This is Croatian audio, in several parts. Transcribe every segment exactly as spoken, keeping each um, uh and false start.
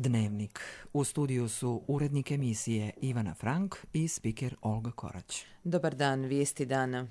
Dnevnik. U studiju su urednik emisije Ivana Frank i spiker Olga Korać. Dobar dan, vijesti dana.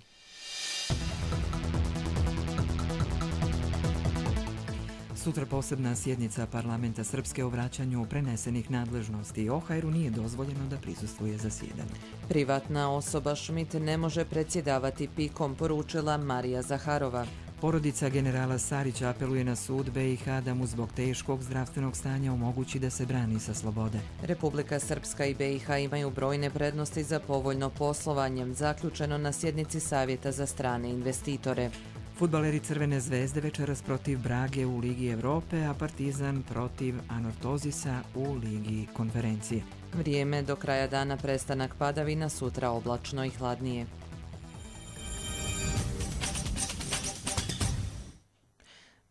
Sutra posebna sjednica parlamenta Srpske o vraćanju prenesenih nadležnosti. O H R-u nije dozvoljeno da prisustvuje zasjedanju. Privatna osoba Schmidt ne može predsjedavati pikom, poručila Marija Zaharova. Porodica generala Sarića apeluje na sud B i H da mu zbog teškog zdravstvenog stanja omogući da se brani sa slobode. Republika Srpska i B i H imaju brojne prednosti za povoljno poslovanje, zaključeno na sjednici Savjeta za strane investitore. Fudbaleri Crvene zvezde večeras protiv Brage u Ligi Evrope, a Partizan protiv Anortozisa u Ligi konferencije. Vrijeme do kraja dana prestanak padavina, sutra oblačno i hladnije.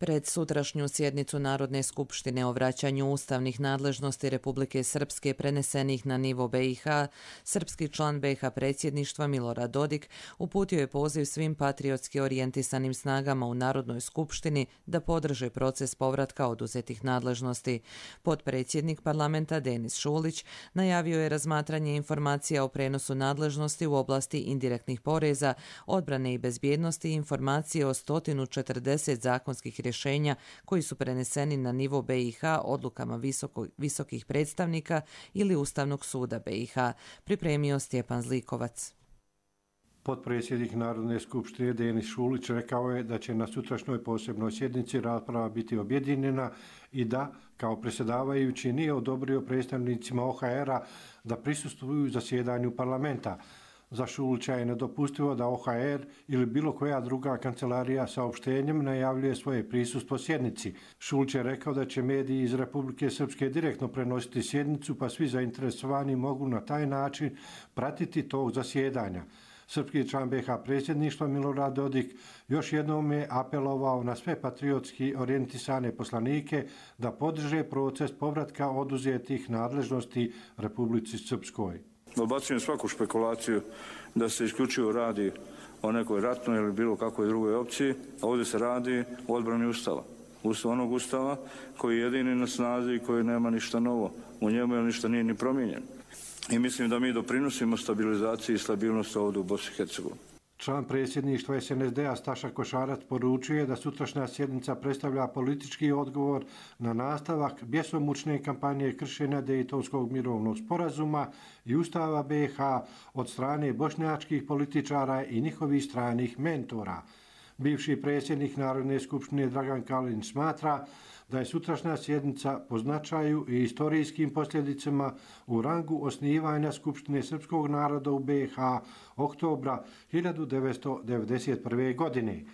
Pred sutrašnju sjednicu Narodne skupštine o vraćanju ustavnih nadležnosti Republike Srpske prenesenih na nivo B i H, srpski član B i H predsjedništva Milorad Dodik uputio je poziv svim patriotski orijentisanim snagama u Narodnoj skupštini da podrže proces povratka oduzetih nadležnosti. Potpredsjednik parlamenta Denis Šulić najavio je razmatranje informacija o prenosu nadležnosti u oblasti indirektnih poreza, odbrane i bezbjednosti i informacije o sto četrdeset zakonskih rješenja rješenja koji su preneseni na nivo B i H odlukama visoko, visokih predstavnika ili Ustavnog suda B i H, pripremio Stjepan Zlikovac. Potpredsjednik Narodne skupštine Denis Šulić rekao je da će na sutrašnjoj posebnoj sjednici rasprava biti objedinjena i da, kao predsjedavajući, nije odobrio predstavnicima O H R-a da prisustvuju zasjedanju parlamenta. Za Šulića je nedopustivo da O H R ili bilo koja druga kancelarija saopštenjem najavljuje svoje prisustvo sjednici. Šulić je rekao da će mediji iz Republike Srpske direktno prenositi sjednicu, pa svi zainteresovani mogu na taj način pratiti tog zasjedanja. Srpski član B i H predsjedništva Milorad Dodik još jednom je apelovao na sve patriotski orijentisane poslanike da podrže proces povratka oduzetih nadležnosti Republici Srpskoj. Odbacujem svaku špekulaciju da se isključivo radi o nekoj ratnoj ili bilo kakvoj drugoj opciji. Ovdje se radi o odbrani Ustava. Ustav, onog Ustava koji je jedini na snazi i koji nema ništa novo. U njemu je ništa nije ni promijenjeno. I mislim da mi doprinosimo stabilizaciji i stabilnosti ovdje u Bosni i Hercegovini. Član predsjedništva S N S D-a Staša Košarac poručuje da sutrašnja sjednica predstavlja politički odgovor na nastavak bjesomučne kampanje kršenja Dejtonskog mirovnog sporazuma i Ustava B i H od strane bošnjačkih političara i njihovih stranih mentora. Bivši predsjednik Narodne skupštine Dragan Kalinić smatra da je sutrašnja sjednica po značaju i istorijskim posljedicama u rangu osnivanja Skupštine srpskog naroda u B i H oktobra hiljadu devetsto devedeset prve. godine.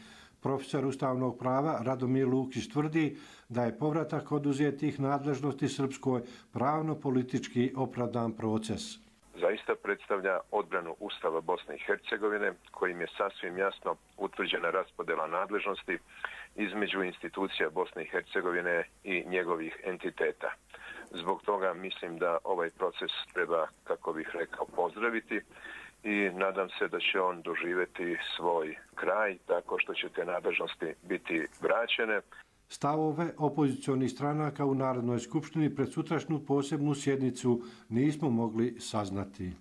Profesor ustavnog prava Radomir Lukić tvrdi da je povratak oduzetih nadležnosti Srpskoj pravno-politički opravdan proces. Zaista predstavlja odbranu Ustava Bosne i Hercegovine, kojim je sasvim jasno utvrđena raspodjela nadležnosti između institucija Bosne i Hercegovine i njegovih entiteta. Zbog toga mislim da ovaj proces treba, kako bih rekao, pozdraviti i nadam se da će on doživjeti svoj kraj tako što će te nadležnosti biti vraćene. Stavove opozicionih stranaka u Narodnoj skupštini pred sutrašnju posebnu sjednicu nismo mogli saznati.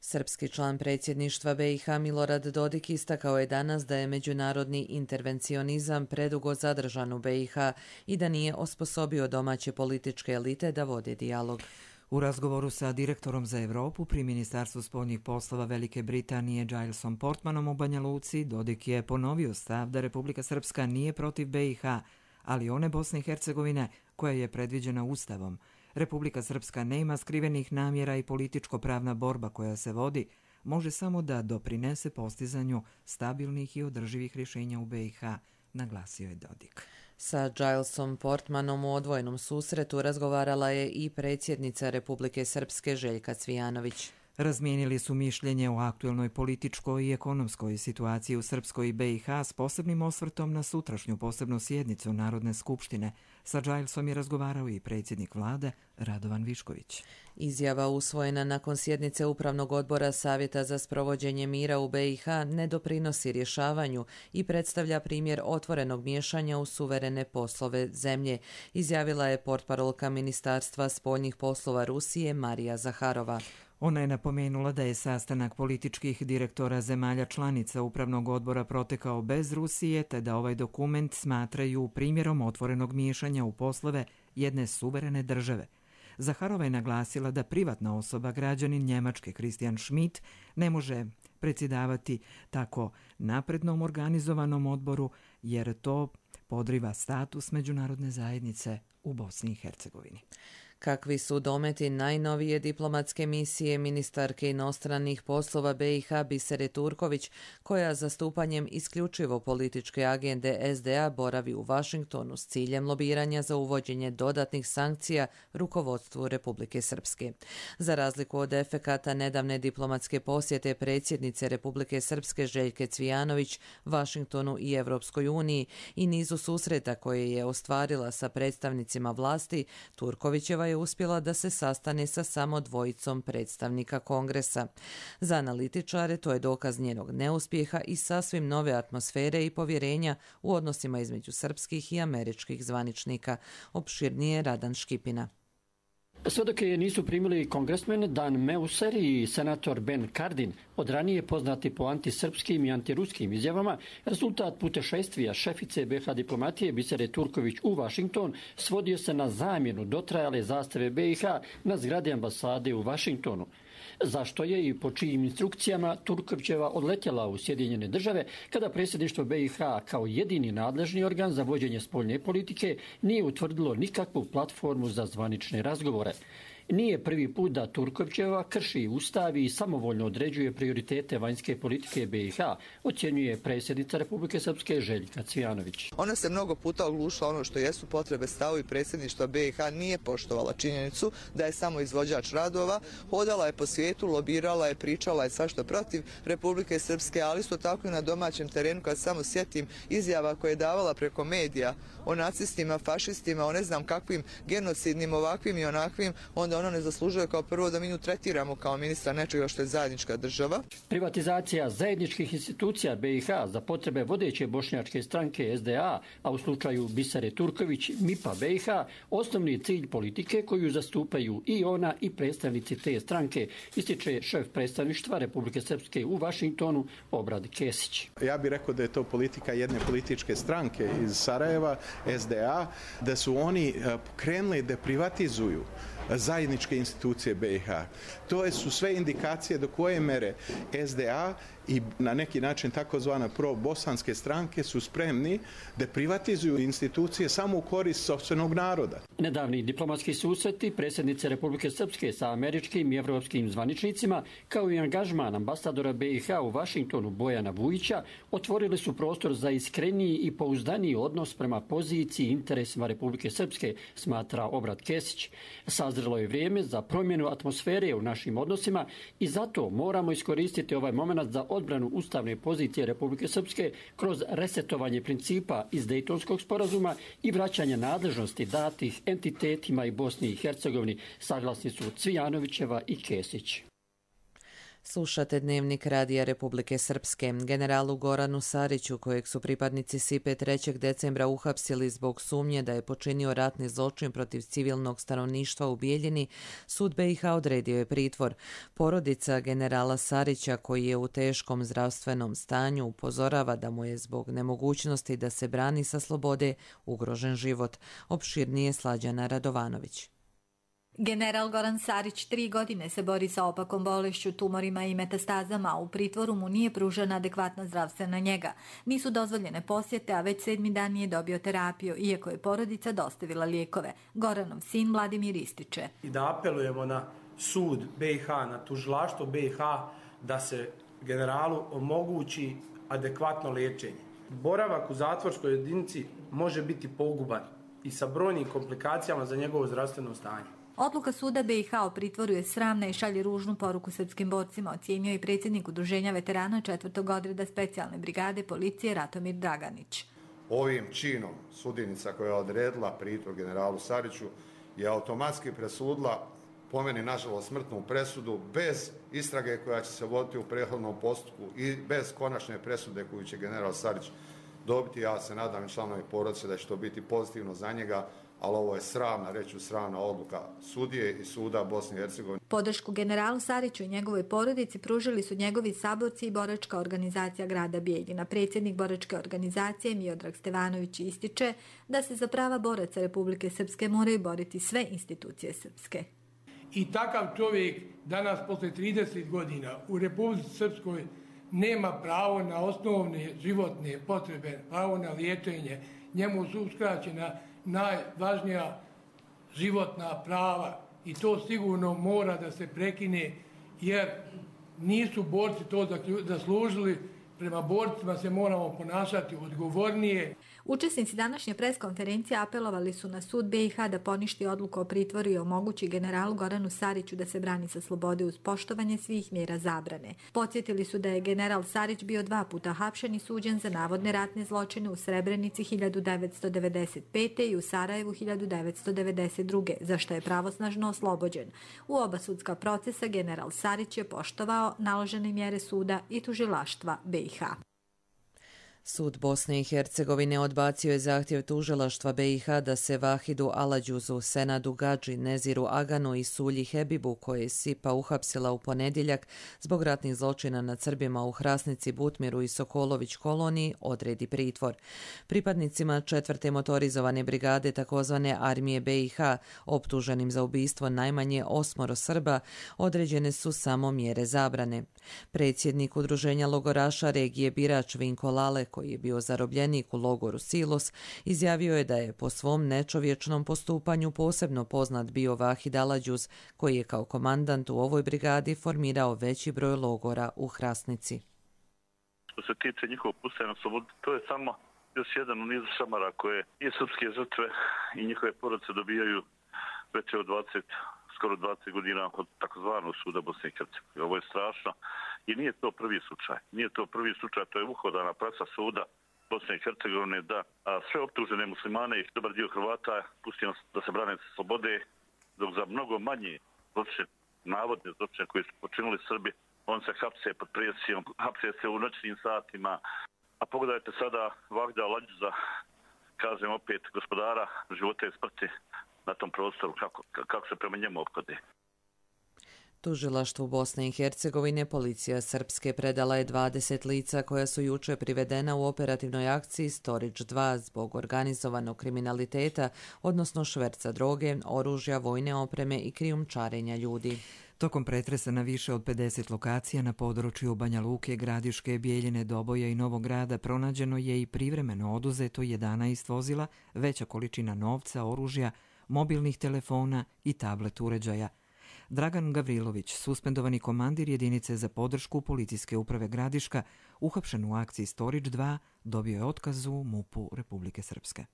Srpski član predsjedništva B i H Milorad Dodik istakao je danas da je međunarodni intervencionizam predugo zadržan u B i H i da nije osposobio domaće političke elite da vode dijalog. U razgovoru sa direktorom za Evropu pri Ministarstvu spoljnih poslova Velike Britanije Gilesom Portmanom u Banja Luci, Dodik je ponovio stav da Republika Srpska nije protiv B i H, ali one Bosne i Hercegovine koja je predviđena Ustavom. Republika Srpska nema skrivenih namjera i političko-pravna borba koja se vodi može samo da doprinese postizanju stabilnih i održivih rješenja u B i H, naglasio je Dodik. Sa Gilesom Portmanom u odvojenom susretu razgovarala je i predsjednica Republike Srpske Željka Cvijanović. Razmijenili su mišljenje o aktuelnoj političkoj i ekonomskoj situaciji u Srpskoj i be i ha s posebnim osvrtom na sutrašnju posebnu sjednicu Narodne skupštine. Sa Gilesom je razgovarao i predsjednik vlade Radovan Višković. Izjava usvojena nakon sjednice Upravnog odbora Savjeta za sprovođenje mira u be i ha ne doprinosi rješavanju i predstavlja primjer otvorenog miješanja u suverene poslove zemlje, izjavila je portparolka Ministarstva spoljnih poslova Rusije Marija Zaharova. Ona je napomenula da je sastanak političkih direktora zemalja članica Upravnog odbora protekao bez Rusije, te da ovaj dokument smatraju primjerom otvorenog miješanja u poslove jedne suverene države. Zaharova je naglasila da privatna osoba, građanin Njemačke Christian Schmidt, ne može predsjedavati tako naprednom organizovanom odboru, jer to podriva status međunarodne zajednice u Bosni i Hercegovini. Kakvi su dometi najnovije diplomatske misije ministarke inostranih poslova be i ha Bisere Turković, koja zastupanjem isključivo političke agende es de a boravi u Vašingtonu s ciljem lobiranja za uvođenje dodatnih sankcija rukovodstvu Republike Srpske. Za razliku od efekata nedavne diplomatske posjete predsjednice Republike Srpske Željke Cvijanović Vašingtonu i Evropskoj uniji i nizu susreta koje je ostvarila sa predstavnicima vlasti, Turkovićeva je uspjela da se sastane sa samo dvojicom predstavnika Kongresa. Za analitičare to je dokaz njenog neuspjeha i sasvim nove atmosfere i povjerenja u odnosima između srpskih i američkih zvaničnika. Opširnije Radan Škipina. Sve dok je nisu primili kongresmen Dan Meuser i senator Ben Cardin, od ranije poznati po antisrpskim i antiruskim izjavama, rezultat putešestvija šefice be ha diplomatije Bisere Turković u Vašington svodio se na zamjenu dotrajale zastave be i ha na zgradi ambasade u Vašingtonu. Zašto je i po čijim instrukcijama Turkovićeva odletjela u Sjedinjene države kada predsjedništvo be i ha kao jedini nadležni organ za vođenje spoljne politike nije utvrdilo nikakvu platformu za zvanične razgovore. Nije prvi put da Turkovićeva krši ustav i samovoljno određuje prioritete vanjske politike be i ha, ocjenjuje predsjednica Republike Srpske Željka Cvijanović. Ona se mnogo puta oglušila ono što jesu potrebe stavovi predsjedništva be i ha, nije poštovala činjenicu da je samo izvođač radova, hodala je po svijetu, lobirala je, pričala je svašta protiv Republike Srpske, ali isto tako i na domaćem terenu, kad samo sjetim izjava koje je davala preko medija o nacistima, fašistima, o ne znam kakvim genocidnim, ovakvim i onakvim, onda ono ne zaslužuje kao prvo da mi nju tretiramo kao ministra nečega što je zajednička država. Privatizacija zajedničkih institucija be i ha za potrebe vodeće bošnjačke stranke es de a, a u slučaju Bisere Turković mipa be i ha, osnovni cilj politike koju zastupaju i ona i predstavnici te stranke, ističe šef predstavništva Republike Srpske u Vašingtonu Obrad Kesić. Ja bih rekao da je to politika jedne političke stranke iz Sarajeva, es de a, da su oni krenuli da privatizuju zajedničke institucije be i ha. To su sve indikacije do koje mere es de a i na neki način takozvana pro-bosanske stranke su spremni da privatizuju institucije samo u korist sopstvenog naroda. Nedavni diplomatski susreti predsjednice Republike Srpske sa američkim i evropskim zvaničnicima, kao i angažman ambasadora be i ha u Vašingtonu Bojana Vujića, otvorili su prostor za iskreniji i pouzdaniji odnos prema poziciji i interesima Republike Srpske, smatra Obrad Kesić. Sazrelo je vrijeme za promjenu atmosfere u našim odnosima i zato moramo iskoristiti ovaj moment za odbranu ustavne pozicije Republike Srpske kroz resetovanje principa iz Dejtonskog sporazuma i vraćanje nadležnosti datih entitetima i Bosni i Hercegovini, saglasni su Cvijanovićeva i Kesić. Slušate Dnevnik Radija Republike Srpske. Generalu Goranu Sariću, kojeg su pripadnici Sipe trećeg decembra uhapsili zbog sumnje da je počinio ratni zločin protiv civilnog stanovništva u Bijeljini, sud be i ha odredio je pritvor. Porodica generala Sarića, koji je u teškom zdravstvenom stanju, upozorava da mu je zbog nemogućnosti da se brani sa slobode ugrožen život. Opširnije Slađana Radovanović. General Goran Sarić tri godine se bori sa opakom bolešću, tumorima i metastazama. U pritvoru mu nije pružena adekvatna zdravstvena njega. Nisu dozvoljene posjete, a već sedmi dan nije dobio terapiju, iako je porodica dostavila lijekove. Goranov sin Vladimir ističe. I da apelujemo na sud be i ha, na tužilaštvo be i ha, da se generalu omogući adekvatno liječenje. Boravak u zatvorskoj jedinici može biti poguban i sa brojnim komplikacijama za njegovo zdravstveno stanje. Odluka suda B i H o pritvoru je sramna i šalje ružnu poruku srpskim borcima, ocijenio i predsjednik Udruženja veterana četvrtog odreda specijalne brigade policije Ratomir Draganić. Ovim činom sudjenica koja je odredila pritvor generalu Sariću je automatski presudila, po meni nažalost, smrtnu presudu bez istrage koja će se voditi u prethodnom postupku i bez konačne presude koju će general Sarić dobiti. Ja se nadam i članovi porodice da će to biti pozitivno za njega, ali ovo je sramna, reću sramna odluka sudije i suda Bosne i Hercegovine. Podršku generalu Sariću i njegovoj porodici pružili su njegovi saborci i boračka organizacija grada Bijeljina. Predsjednik boračke organizacije Miodrag Stevanović ističe da se za prava boraca Republike Srpske moraju boriti sve institucije srpske. I takav čovjek danas posle trideset godina u Republici Srpskoj nema pravo na osnovne životne potrebe, pravo na liječenje. Njemu su uskraćena najvažnija životna prava i to sigurno mora da se prekine, jer nisu borci to zaslužili. Prema borcima se moramo ponašati odgovornije. Učesnici današnje preskonferencije apelovali su na sud B i H da poništi odluku o pritvoru i omogući generalu Goranu Sariću da se brani sa slobode uz poštovanje svih mjera zabrane. Podsjetili su da je general Sarić bio dva puta hapšen i suđen za navodne ratne zločine u Srebrenici hiljadu devetsto devedeset pete. i u Sarajevu hiljadu devetsto devedeset druge. za što je pravosnažno oslobođen. U oba sudska procesa general Sarić je poštovao naložene mjere suda i tužilaštva B i H. Sud Bosne i Hercegovine odbacio je zahtjev tužilaštva B i H da se Vahidu Aladjuzu, Senadu Gadži, Neziru Aganu i Sulji Hebibu, koje je Sipa uhapsila u ponedjeljak zbog ratnih zločina nad Srbima u Hrasnici, Butmiru i Sokolović koloniji, odredi pritvor. Pripadnicima četvrte motorizovane brigade takozvane armije B i H, optuženim za ubistvo najmanje osmoro Srba, određene su samo mjere zabrane. Predsjednik Udruženja logoraša regije Birač Vinko Lale, koji je bio zarobljenik u logoru Silos, izjavio je da je po svom nečovječnom postupanju posebno poznat bio Vahid Aladjuz, koji je kao komandant u ovoj brigadi formirao veći broj logora u Hrasnici. Što se tiče njihovog puštanja na slobodu, to je samo još jedan u nizu šamara koje i srpske žrtve i njihove porodice dobijaju već od dvadeset, skoro dvadeset godina od takozvanog suda Bosne i Hercegovine. Ovo je strašno i nije to prvi slučaj. Nije to prvi slučaj, to je uhodana praksa suda Bosne i Hercegovine da a, sve optužene muslimane i dobar dio Hrvata pustimo da se brane slobode, dok za mnogo manje zločine, navodne zločine koje su počinili Srbi, on se hapse pod presijom, hapse se u noćnim satima. A pogledajte sada Vahida Aladjuza, kažem opet, gospodara života i smrti na tom prostoru, kako, kako se prema njemu ophode. Tužilaštvu Bosne i Hercegovine policija srpske predala je dvadeset lica koja su juče privedena u operativnoj akciji Storage dva zbog organizovanog kriminaliteta, odnosno šverca droge, oružja, vojne opreme i krijumčarenja ljudi. Tokom pretresa na više od pedeset lokacija na području Banja Luke, Gradiške, Bijeljine, Doboja i Novog Grada pronađeno je i privremeno oduzeto jedanaest vozila, veća količina novca, oružja, mobilnih telefona i tablet uređaja. Dragan Gavrilović, suspendovani komandir jedinice za podršku policijske uprave Gradiška, uhapšen u akciji Storage dva, dobio je otkaz u MUP-u Republike Srpske.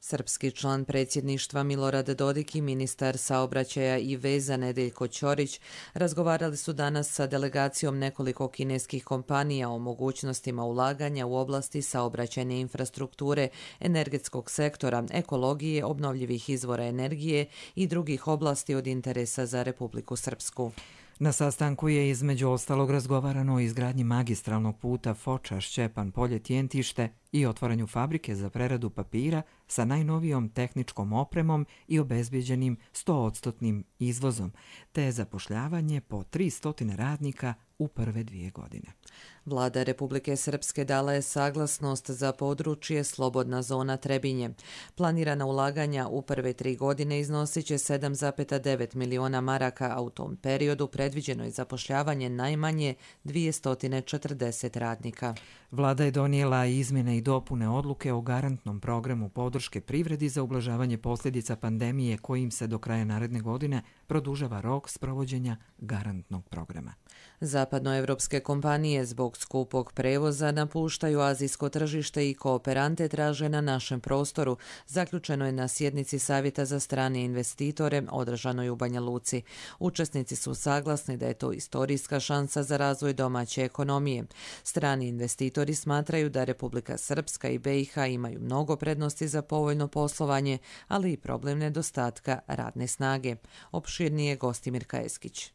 Srpski član predsjedništva Milorad Dodik i ministar saobraćaja i veza Nedeljko Ćorić razgovarali su danas sa delegacijom nekoliko kineskih kompanija o mogućnostima ulaganja u oblasti saobraćajne infrastrukture, energetskog sektora, ekologije, obnovljivih izvora energije i drugih oblasti od interesa za Republiku Srpsku. Na sastanku je između ostalog razgovarano o izgradnji magistralnog puta Foča-Šćepan-Polje-Tjentište i otvaranju fabrike za preradu papira sa najnovijom tehničkom opremom i obezbijeđenim sto posto izvozom, te zapošljavanje po tristo radnika u prve dvije godine. Vlada Republike Srpske dala je saglasnost za područje Slobodna zona Trebinje. Planirana ulaganja u prve tri godine iznosit će sedam zarez devet miliona maraka, a u tom periodu predviđeno je zapošljavanje najmanje dvjesto četrdeset radnika. Vlada je donijela izmjene i dopune odluke o garantnom programu podrške privredi za ublažavanje posljedica pandemije kojim se do kraja naredne godine produžava rok sprovođenja garantnog programa. Zapadnoevropske kompanije zbog skupog prevoza napuštaju azijsko tržište i kooperante traže na našem prostoru, zaključeno je na sjednici Savjeta za strane investitore održanoj u Banja Luci. Učesnici su saglasni da je to istorijska šansa za razvoj domaće ekonomije. Strani investitori smatraju da Republika Srpska i B i H imaju mnogo prednosti za povoljno poslovanje, ali i problem nedostatka radne snage. Opširnije Gostimir Kajeskić.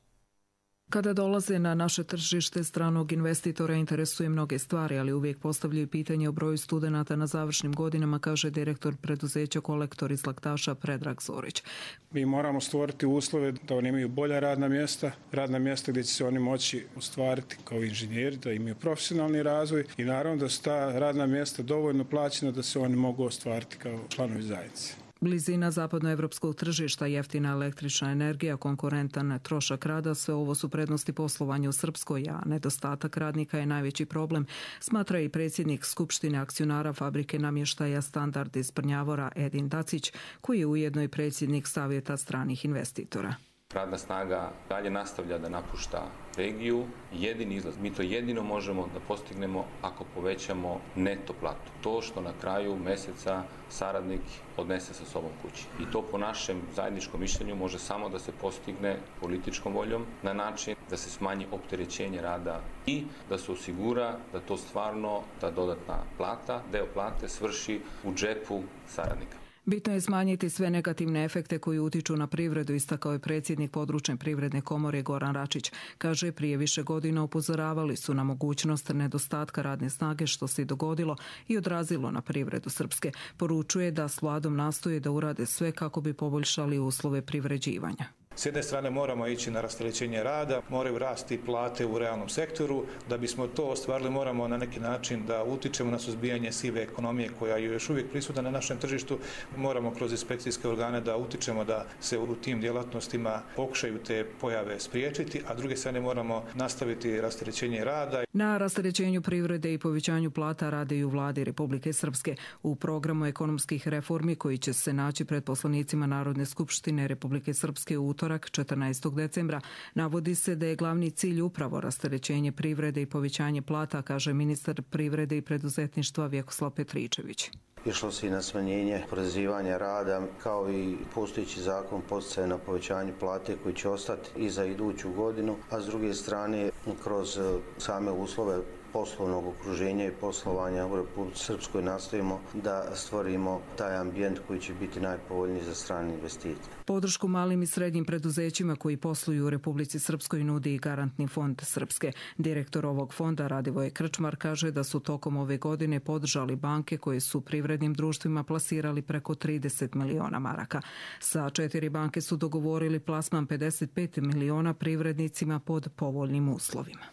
Kada dolaze na naše tržište, stranog investitora interesuje mnoge stvari, ali uvijek postavljaju pitanje o broju studenata na završnim godinama, kaže direktor preduzeća Kolektor iz Laktaša Predrag Zorić. Mi moramo stvoriti uslove da oni imaju bolja radna mjesta, radna mjesta gdje će se oni moći ostvariti kao inženjeri, da imaju profesionalni razvoj i naravno da su ta radna mjesta dovoljno plaćena da se oni mogu ostvariti kao članovi zajednice. Blizina zapadnoevropskog tržišta, jeftina električna energija, konkurentan trošak rada, sve ovo su prednosti poslovanja u Srpskoj, a nedostatak radnika je najveći problem, smatra i predsjednik Skupštine akcionara fabrike namještaja Standard iz Brnjavora Edin Dacić, koji je ujedno i predsjednik Savjeta stranih investitora. Radna snaga dalje nastavlja da napušta regiju. Jedini izlaz, mi to jedino možemo da postignemo ako povećamo neto platu. To što na kraju mjeseca saradnik odnese sa sobom kući. I to po našem zajedničkom mišljenju može samo da se postigne političkom voljom na način da se smanji opterećenje rada i da se osigura da to stvarno, ta dodatna plata, deo plate svrši u džepu saradnika. Bitno je smanjiti sve negativne efekte koji utiču na privredu, istakao je predsjednik područne privredne komore Goran Račić. Kaže, prije više godina upozoravali su na mogućnost nedostatka radne snage što se i dogodilo i odrazilo na privredu Srpske. Poručuje da s vladom nastoje da urade sve kako bi poboljšali uslove privređivanja. S jedne strane moramo ići na rasterećenje rada, moraju rasti plate u realnom sektoru. Da bismo to ostvarili moramo na neki način da utičemo na suzbijanje sive ekonomije koja je još uvijek prisutna na našem tržištu. Moramo kroz inspekcijske organe da utičemo da se u tim djelatnostima pokušaju te pojave spriječiti, a s druge strane moramo nastaviti rasterećenje rada. Na rasterećenju privrede i povećanju plata rade i u vladi Republike Srpske. U programu ekonomskih reformi koji će se naći pred poslanicima Narodne skupštine Republike Srpske u utorak četrnaestog decembra navodi se da je glavni cilj upravo rasterećenje privrede i povećanje plata, kaže ministar privrede i preduzetništva Vjekoslav Petričević. Išlo se i na smanjenje oporezivanja rada, kao i postojeći zakon poticaje na povećanje plate koji će ostati i za iduću godinu, a s druge strane kroz same uslove poslovnog okruženja i poslovanja u Republici Srpskoj nastojimo da stvorimo taj ambijent koji će biti najpovoljniji za strane investitore. Podršku malim i srednjim preduzećima koji posluju u Republici Srpskoj nudi i Garantni fond Srpske. Direktor ovog fonda Radivoje Krčmar kaže da su tokom ove godine podržali banke koje su privrednim društvima plasirali preko trideset miliona maraka. Sa četiri banke su dogovorili plasman pedeset pet miliona privrednicima pod povoljnim uslovima.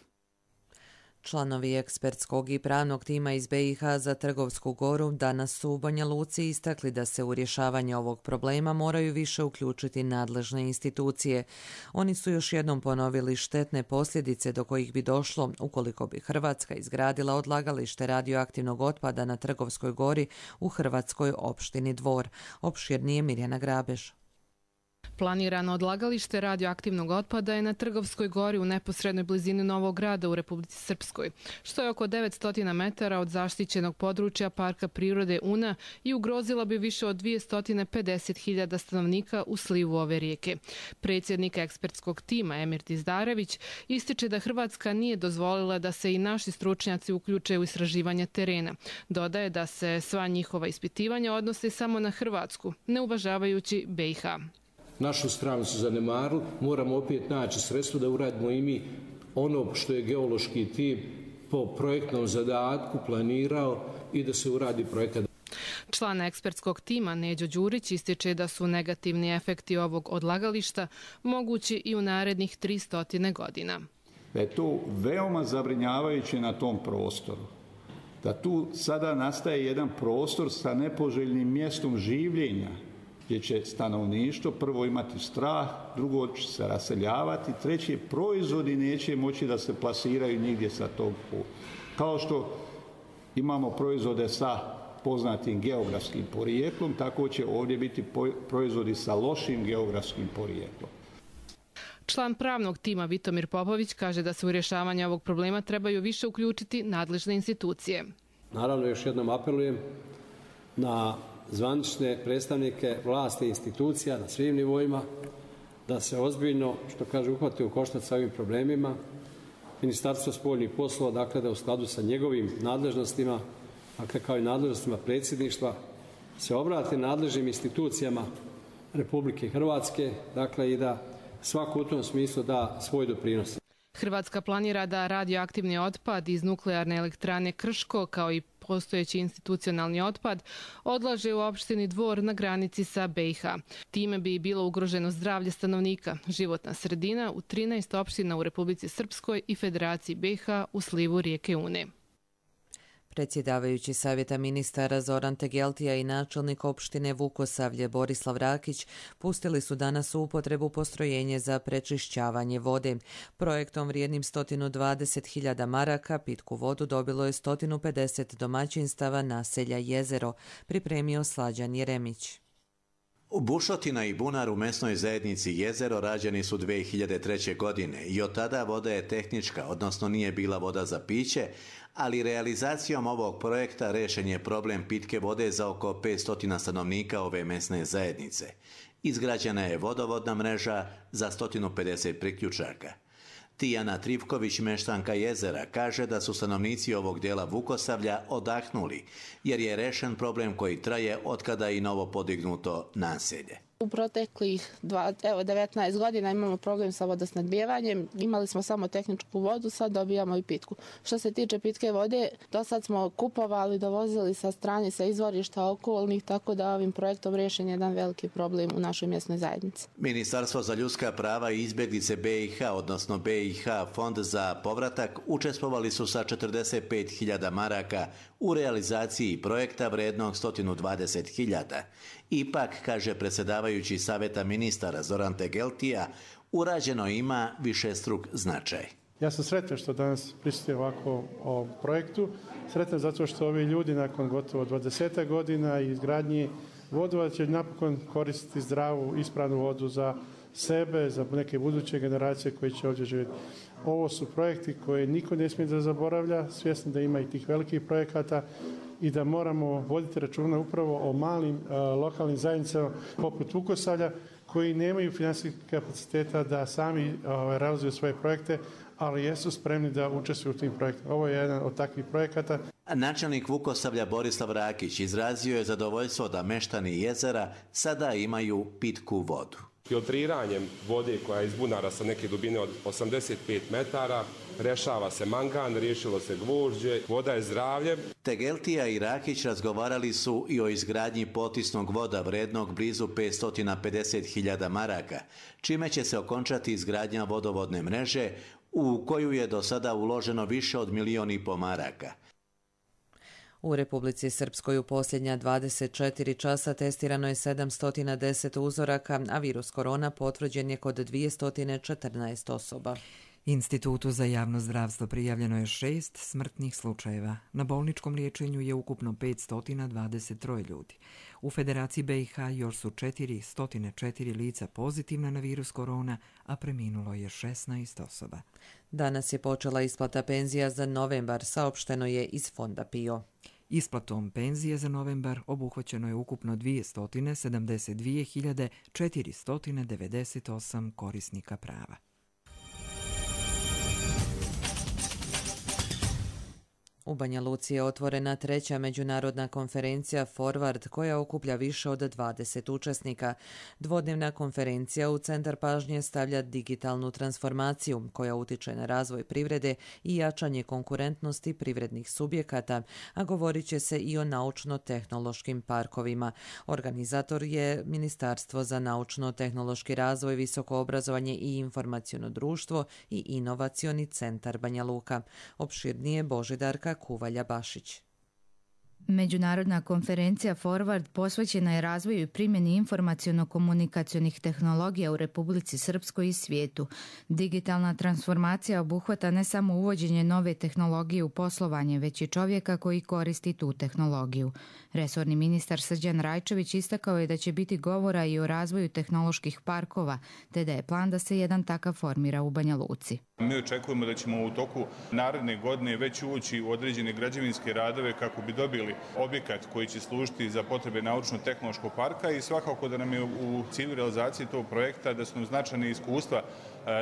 Članovi ekspertskog i pravnog tima iz B i H za Trgovsku Goru danas su u Banja Luci istakli da se u rješavanje ovog problema moraju više uključiti nadležne institucije. Oni su još jednom ponovili štetne posljedice do kojih bi došlo ukoliko bi Hrvatska izgradila odlagalište radioaktivnog otpada na Trgovskoj Gori u hrvatskoj opštini Dvor. Opširnije Mirjana Grabež. Planirano odlagalište radioaktivnog otpada je na Trgovskoj Gori u neposrednoj blizini Novog Grada u Republici Srpskoj, što je oko devetsto metara od zaštićenog područja Parka prirode Una i ugrozila bi više od dvjesto pedeset hiljada stanovnika u slivu ove rijeke. Predsjednik ekspertskog tima Emir Dizdarević ističe da Hrvatska nije dozvolila da se i naši stručnjaci uključe u istraživanje terena. Dodaje da se sva njihova ispitivanja odnose samo na Hrvatsku, ne uvažavajući B i H. Našu stranu su zanemarili, moramo opet naći sredstvo da uradimo i mi ono što je geološki tim po projektnom zadatku planirao i da se uradi projekat. Član ekspertskog tima Neđo Đurić ističe da su negativni efekti ovog odlagališta mogući i u narednih tristo godina. Da je to veoma zabrinjavajuće na tom prostoru. Da tu sada nastaje jedan prostor sa nepoželjnim mjestom življenja, gdje će stanovništvo prvo imati strah, drugo će se raseljavati, treće proizvodi neće moći da se plasiraju nigdje sa tog puta. Kao što imamo proizvode sa poznatim geografskim porijeklom, tako će ovdje biti proizvodi sa lošim geografskim porijeklom. Član pravnog tima Vitomir Popović kaže da se u rješavanje ovog problema trebaju više uključiti nadležne institucije. Naravno, još jednom apelujem na zvanične predstavnike vlasti i institucija na svim nivoima da se ozbiljno, što kaže, uhvate u koštac sa ovim problemima. Ministarstvo spoljnih poslova, dakle, da u skladu sa njegovim nadležnostima, dakle, kao i nadležnostima predsjedništva, se obrate nadležnim institucijama Republike Hrvatske, dakle, i da svako u tom smislu da svoj doprinos. Hrvatska planira da radioaktivni otpad iz nuklearne elektrane Krško, kao i postojeći institucionalni otpad, odlaže u opštini Dvor na granici sa B i H. Time bi bilo ugroženo zdravlje stanovnika, životna sredina u trinaest opština u Republici Srpskoj i Federaciji B i H u slivu rijeke Une. Predsjedavajući Savjeta ministara Zoran Tegeltija i načelnik opštine Vukosavlje Borislav Rakić pustili su danas u upotrebu postrojenje za prečišćavanje vode. Projektom vrijednim sto dvadeset hiljada maraka pitku vodu dobilo je sto pedeset domaćinstava naselja Jezero, pripremio Slađan Jeremić. Bušotina i bunar u mesnoj zajednici Jezero rađeni su dvije hiljade treće. godine i od tada voda je tehnička, odnosno nije bila voda za piće, ali realizacijom ovog projekta rešen je problem pitke vode za oko petsto stanovnika ove mesne zajednice. Izgrađena je vodovodna mreža za sto pedeset priključaka. Tijana Trivković, meštanka Jezera, kaže da su stanovnici ovog dijela Vukosavlja odahnuli, jer je rešen problem koji traje otkada i novo podignuto naselje. U proteklih dva, evo, devetnaest godina imamo problem sa vodosnadbijevanjem. Imali smo samo tehničku vodu, sad dobijamo i pitku. Što se tiče pitke vode, do sad smo kupovali, dovozili sa strane, sa izvorišta okolnih, tako da ovim projektom rešen je jedan veliki problem u našoj mjesnoj zajednici. Ministarstvo za ljudska prava i izbjeglice B i H, odnosno B i H Fond za povratak, učestvovali su sa četrdeset pet hiljada maraka u realizaciji projekta vrednog sto dvadeset hiljada. Ipak, kaže predsjedavajući Savjeta ministara Zoran Tegeltija, urađeno ima višestruk značaj. Ja sam sretan što danas prisustujem ovako ovom projektu. Sretan zato što ovi ljudi nakon gotovo dvadeset godina i izgradnji vodova će napokon koristiti zdravu, ispravnu vodu za sebe, za neke buduće generacije koji će ovdje živjeti. Ovo su projekti koje niko ne smije da zaboravlja, svjesni da ima i tih velikih projekata i da moramo voditi računa upravo o malim uh, lokalnim zajednicama poput Vukosavlja koji nemaju financijskih kapaciteta da sami uh, realizuju svoje projekte, ali jesu spremni da učestvuju u tim projektima. Ovo je jedan od takvih projekata. Načelnik Vukosavlja Borislav Rakić izrazio je zadovoljstvo da meštani Jezera sada imaju pitku vodu. Filtriranjem vode koja je iz bunara sa neke dubine od osamdeset pet metara, rešava se mangan, riješilo se gvožđe, voda je zdravlje. Tegeltija i Rakić razgovarali su i o izgradnji potisnog voda vrednog blizu petsto pedeset hiljada maraka, čime će se okončati izgradnja vodovodne mreže u koju je do sada uloženo više od milion i po maraka. U Republici Srpskoj u posljednja dvadeset četiri časa testirano je sedamsto deset uzoraka, a virus korona potvrđen je kod dvjesto četrnaest osoba. Institutu za javno zdravstvo prijavljeno je šest smrtnih slučajeva. Na bolničkom liječenju je ukupno petsto dvadeset tri ljudi. U Federaciji B i H još su četiristo četiri lica pozitivna na virus korona, a preminulo je šesnaest osoba. Danas je počela isplata penzija za novembar, saopšteno je iz Fonda P I O. Isplatom penzije za novembar obuhvaćeno je ukupno dvjesto sedamdeset dvije hiljade četiristo devedeset osam korisnika prava. U Banja Luci je otvorena treća međunarodna konferencija Forward koja okuplja više od dvadeset učesnika. Dvodnevna konferencija u centar pažnje stavlja digitalnu transformaciju koja utiče na razvoj privrede i jačanje konkurentnosti privrednih subjekata, a govorit će se i o naučno-tehnološkim parkovima. Organizator je Ministarstvo za naučno-tehnološki razvoj, visoko obrazovanje i informaciono društvo i inovacioni centar Banja Luka. Opširnije Božidarka Kuvalja Bašić. Međunarodna konferencija Forward posvećena je razvoju i primjeni informaciono-komunikacionih tehnologija u Republici Srpskoj i svijetu. Digitalna transformacija obuhvata ne samo uvođenje nove tehnologije u poslovanje, već i čovjeka koji koristi tu tehnologiju. Resorni ministar Srđan Rajčević istakao je da će biti govora i o razvoju tehnoloških parkova, te da je plan da se jedan takav formira u Banja Luci. Mi očekujemo da ćemo u toku naredne godine već ući u određene građevinske radove kako bi dobili objekat koji će služiti za potrebe naučno-tehnološkog parka i svakako da nam je u cilju realizacije tog projekta da su nam značajne iskustva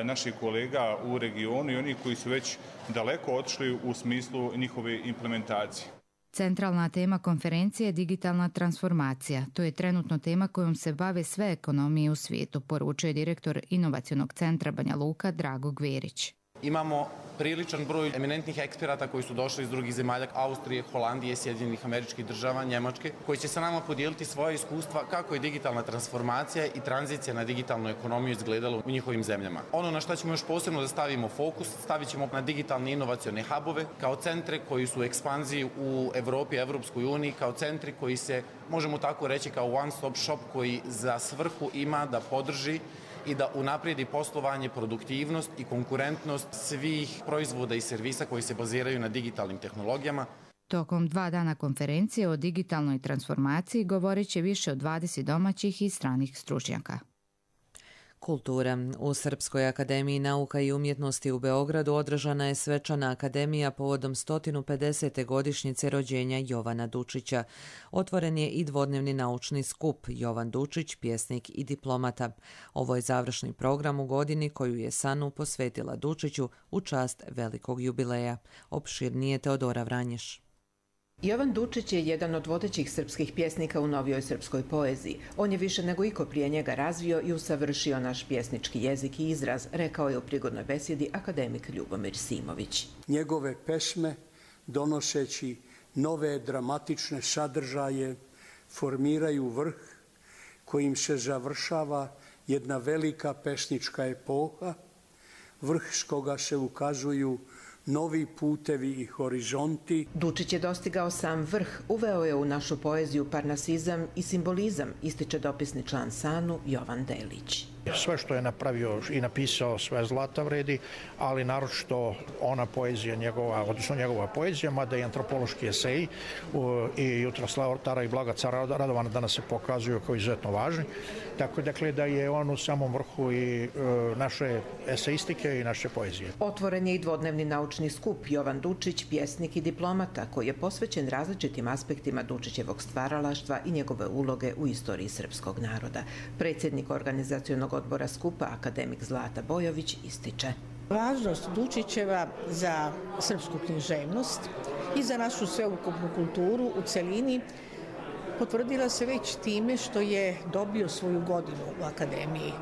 naših kolega u regionu i oni koji su već daleko otišli u smislu njihove implementacije. Centralna tema konferencije je digitalna transformacija. To je trenutno tema kojom se bave sve ekonomije u svijetu, poručuje direktor Inovacionog centra Banja Luka Drago Gverić. Imamo priličan broj eminentnih eksperata koji su došli iz drugih zemalja, Austrije, Holandije, Sjedinjenih Američkih Država, Njemačke, koji će sa nama podijeliti svoje iskustva kako je digitalna transformacija i tranzicija na digitalnu ekonomiju izgledala u njihovim zemljama. Ono na što ćemo još posebno da stavimo fokus, stavit ćemo na digitalne inovacione hubove kao centre koji su u ekspanziji u Evropi, Evropskoj uniji, kao centri koji se, možemo tako reći, kao one stop shop koji za svrhu ima da podrži i da unaprijedi poslovanje, produktivnost i konkurentnost svih proizvoda i servisa koji se baziraju na digitalnim tehnologijama. Tokom dva dana konferencije o digitalnoj transformaciji govorit će više od dvadeset domaćih i stranih stručnjaka. Kultura. U Srpskoj akademiji nauka i umjetnosti u Beogradu održana je svečana akademija povodom sto pedesete godišnjice rođenja Jovana Dučića. Otvoren je i dvodnevni naučni skup Jovan Dučić, pjesnik i diplomata. Ovo je završni program u godini koju je S A N U posvetila Dučiću u čast velikog jubileja. Opširnije Teodora Vranješ. Jovan Dučić je jedan od vodećih srpskih pjesnika u novijoj srpskoj poeziji. On je više nego iko prije njega razvio i usavršio naš pjesnički jezik i izraz, rekao je u prigodnoj besjedi akademik Ljubomir Simović. Njegove pesme, donoseći nove dramatične sadržaje, formiraju vrh kojim se završava jedna velika pesnička epoha, vrh s koga se ukazuju novi putevi i horizonti. Dučić je dostigao sam vrh, uveo je u našu poeziju parnasizam i simbolizam, ističe dopisni član S A N U Jovan Delić. Sve što je napravio i napisao sve zlata vredi, ali naročito ona poezija njegova, odnosno njegova poezija, mada i antropološki eseji i Jutra Tara i Blaga cara Radovana danas se pokazuju kao izuzetno važni. Tako dakle da je on u samom vrhu i naše eseistike i naše poezije. Otvoren je i dvodnevni naučni skup Jovan Dučić, pjesnik i diplomata, koji je posvećen različitim aspektima Dučićevog stvaralaštva i njegove uloge u istoriji srpskog naroda. Predsjednik organizacionog odbora skupa, akademik Zlata Bojović, ističe. Važnost Dučićeva za srpsku književnost i za našu sveukupnu kulturu u celini potvrdila se već time što je dobio svoju godinu u akademiji.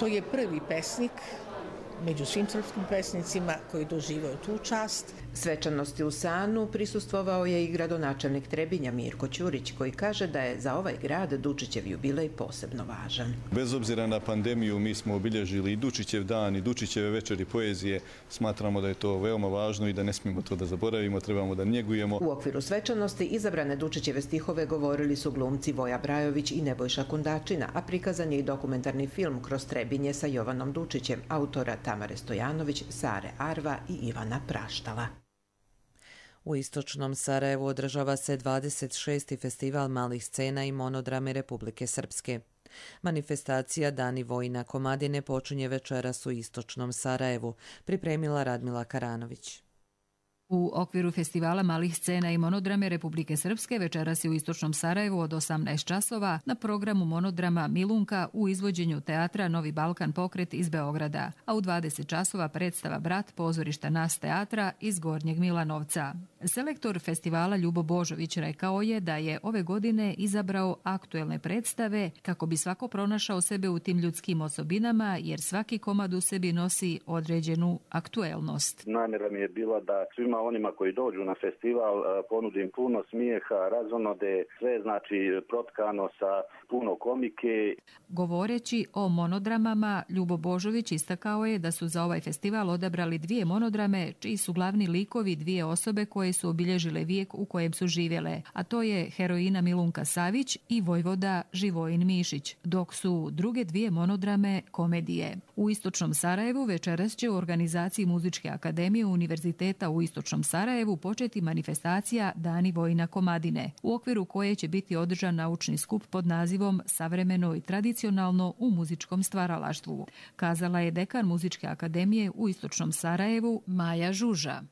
To je prvi pesnik među svim srpskim pesnicima koji doživaju tu čast. Svečanosti u S A N U prisustvovao je i gradonačelnik Trebinja Mirko Ćurić, koji kaže da je za ovaj grad Dučićev jubilej posebno važan. Bez obzira na pandemiju mi smo obilježili i Dučićev dan i Dučićeve večeri poezije. Smatramo da je to veoma važno i da ne smijemo to da zaboravimo, trebamo da njegujemo. U okviru svečanosti izabrane Dučićeve stihove govorili su glumci Voja Brajović i Nebojša Kundačina, a prikazan je i dokumentarni film Kroz Trebinje sa Jovanom Dučićem, autora Tamare Stojanović, Sare Arva i Ivana Praštala. U istočnom Sarajevu održava se dvadeset šesti festival malih scena i monodrame Republike Srpske. Manifestacija Dani Vojina Komadine počinje večeras u istočnom Sarajevu, pripremila Radmila Karanović. U okviru festivala malih scena i monodrame Republike Srpske večeras je u istočnom Sarajevu od osamnaest časova na programu monodrama Milunka u izvođenju teatra Novi Balkan pokret iz Beograda, a u dvadeset časova predstava Brat pozorišta Nas teatra iz Gornjeg Milanovca. Selektor festivala Ljubo Božović rekao je da je ove godine izabrao aktuelne predstave kako bi svako pronašao sebe u tim ljudskim osobinama, jer svaki komad u sebi nosi određenu aktuelnost. Namjera mi je bila da svima onima koji dođu na festival ponudim puno smijeha, razonode, sve znači protkano sa puno komike. Govoreći o monodramama, Ljubo Božović istakao je da su za ovaj festival odabrali dvije monodrame, čiji su glavni likovi dvije osobe koje su obilježile vijek u kojem su živjele, a to je heroina Milunka Savić i vojvoda Živojin Mišić, dok su druge dvije monodrame komedije. U Istočnom Sarajevu večeras će u organizaciji Muzičke akademije Univerziteta u Istočnom Sarajevu početi manifestacija Dani Vojina Komadine, u okviru koje će biti održan naučni skup pod nazivom Savremeno i tradicionalno u muzičkom stvaralaštvu, kazala je dekan Muzičke akademije u Istočnom Sarajevu Maja Žuža.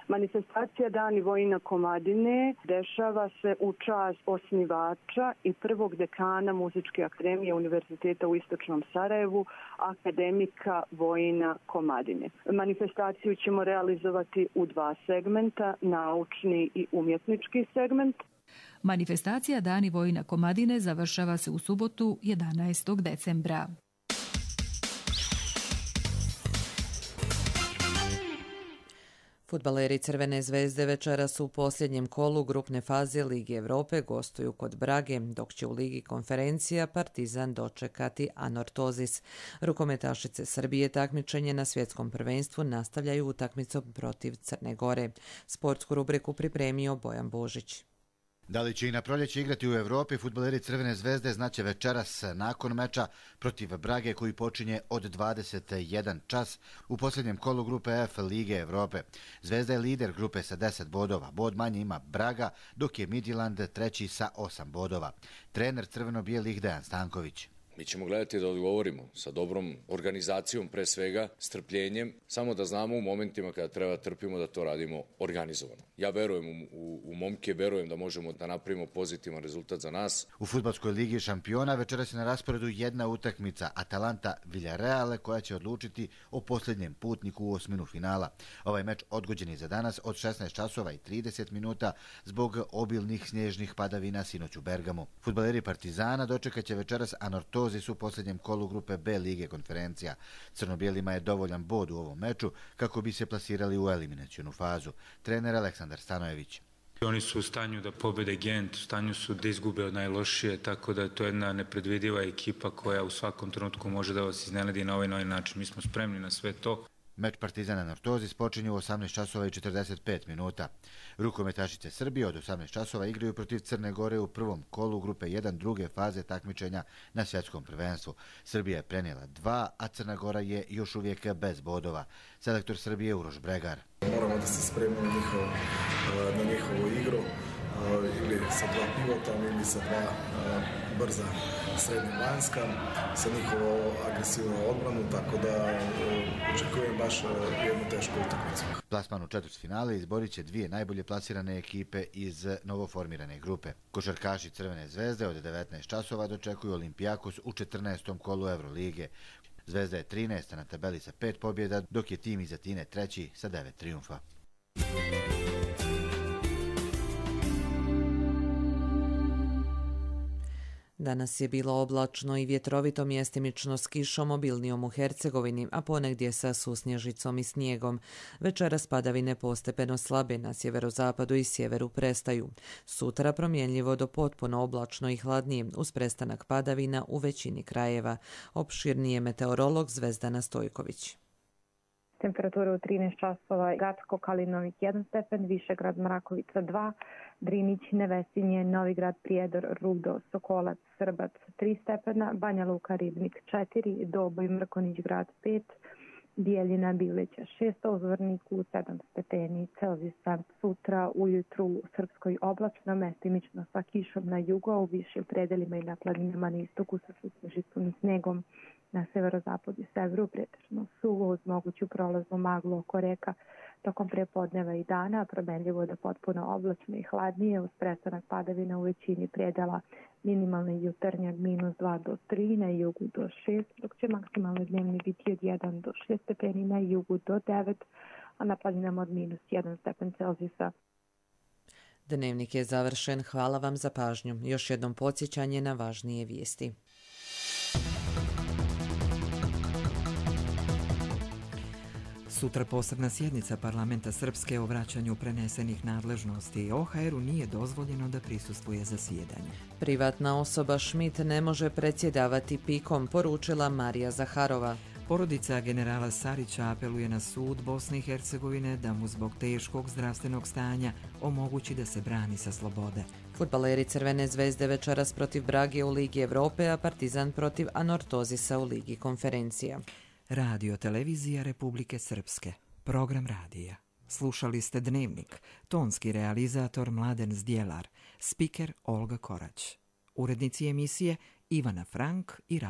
Manifestacija Dani Vojina Komadine dešava se u čast osnivača i prvog dekana Muzičke akademije Univerziteta u Istočnom Sarajevu, akademika Vojina Komadine. Manifestaciju ćemo realizovati u dva segmenta, naučni i umjetnički segment. Manifestacija Dani Vojina Komadine završava se u subotu jedanaestog decembra. Fudbaleri Crvene zvezde večeras u posljednjem kolu grupne faze Lige Evrope gostuju kod Brage, dok će u Ligi konferencija Partizan dočekati Anortozis. Rukometašice Srbije takmičenje na svjetskom prvenstvu nastavljaju utakmicom protiv Crne Gore. Sportsku rubriku pripremio Bojan Božić. Da li će i na proljeće igrati u Evropi, fudbaleri Crvene zvezde znaće večeras nakon meča protiv Brage koji počinje od dvadeset jedan čas u posljednjem kolu grupe F Lige Evrope. Zvezda je lider grupe sa deset bodova. Bod manje ima Braga, dok je Midtjylland treći sa osam bodova. Trener crveno-bijelih Dejan Stanković. Mi ćemo gledati da odgovorimo sa dobrom organizacijom, pre svega, strpljenjem, samo da znamo u momentima kada treba trpimo da to radimo organizovano. Ja verujem u, u, u momke, verujem da možemo da napravimo pozitivan rezultat za nas. U fudbalskoj ligi šampiona večeras je na rasporedu jedna utakmica Atalanta Villarreal koja će odlučiti o posljednjem putniku u osminu finala. Ovaj meč odgođen je za danas od šesnaest časova i trideset minuta zbog obilnih snježnih padavina sinoć u Bergamu. Fudbaleri Partizana dočekat će večeras Anortozis u posljednjem kolu grupe B Lige konferencija. Crno-bijelima je dovoljan bod u ovom meču kako bi se plasirali u eliminacionu fazu. Trener Aleksandar Stanojević. Oni su u stanju da pobede Gent, u stanju su da izgube od najlošije, tako da je to jedna nepredvidiva ekipa koja u svakom trenutku može da vas iznenadi na ovaj novi način. Mi smo spremni na sve to. Meč Partizana Anortozis počinje u osamnaest časova i četrdeset pet minuta. Rukometašice Srbije od osamnaest časova igraju protiv Crne Gore u prvom kolu grupe jedan druge faze takmičenja na svjetskom prvenstvu. Srbija je prenijela dva, a Crna Gora je još uvijek bez bodova. Selektor Srbije Uroš Bregar. Moramo da se spremimo na njihovu, na njihovu igru, ili sa dva pivota, ili sa dva brza srednja vanjska, sa njihovo agresivnu odbranu, tako da očekujem baš jednu tešku utakmicu. Plasman u četvrtfinale izborit će dvije najbolje plasirane ekipe iz novoformirane grupe. Košarkaši Crvene zvezde od devetnaest časova dočekuju Olimpijakos u četrnaestom kolu Evrolige. Zvezda je trinaesta na tabeli sa pet pobjeda, dok je tim iz Atine treći sa devet trijumfa. Danas je bilo oblačno i vjetrovito, mjestimično s kišom, obilnijom u Hercegovini, a ponegdje sa susnježicom i snijegom. Večeras padavine postepeno slabe, na sjeverozapadu i sjeveru prestaju. Sutra promjenljivo do potpuno oblačno i hladnije, uz prestanak padavina u većini krajeva. Opširnije meteorolog Zvezdana Stojković. Temperatura u trinaest časova, Gacko, Kalinovik jedan stepen, Višegrad, Mrakovica dva, Drinić, Nevesinje, Novigrad, Prijedor, Rudo, Sokolac, Srbac tri stepena, Banja Luka, Ribnik četiri, Doboj, Mrkonić, Grad pet, Bijeljina, Bileća šest, Ozvorniku sedam stepeni Celzijusa. Sutra ujutru u Srpskoj oblačno, mestimično sa kišom na jugu, u višim predelima i na planinama na istoku sa susnežicom i snegom. Na severozapadu i severu pretežno suvo uz moguću prolaznu maglu oko reka tokom prepodneva i dana, promenljivo da potpuno oblačno i hladnije uz prestanak padavina u većini predela. Minimalni jutarnjak minus dva do tri, na jugu do šest, dok će maksimalni dnevni biti od jedan do šest stepeni, na jugu do devet, a na planinama od minus jedan stepen Celzijusa. Dnevnik je završen. Hvala vam za pažnju. Još jednom podsjećanje na važnije vijesti. Sutra posebna sjednica parlamenta Srpske o vraćanju prenesenih nadležnosti. O H R-u nije dozvoljeno da prisustvuje zasjedanju. Privatna osoba Schmidt ne može predsjedavati pikom, poručila Marija Zaharova. Porodica generala Sarića apeluje na sud Bosne i Hercegovine da mu zbog teškog zdravstvenog stanja omogući da se brani sa slobode. Fudbaleri Crvene zvezde večeras protiv Brage u Ligi Evrope, a Partizan protiv Anortozisa u Ligi konferencija. Radio televizija Republike Srpske. Program radija. Slušali ste Dnevnik. Tonski realizator Mladen Zdjelar. Spiker Olga Korać. Urednici emisije Ivana Frank i Rad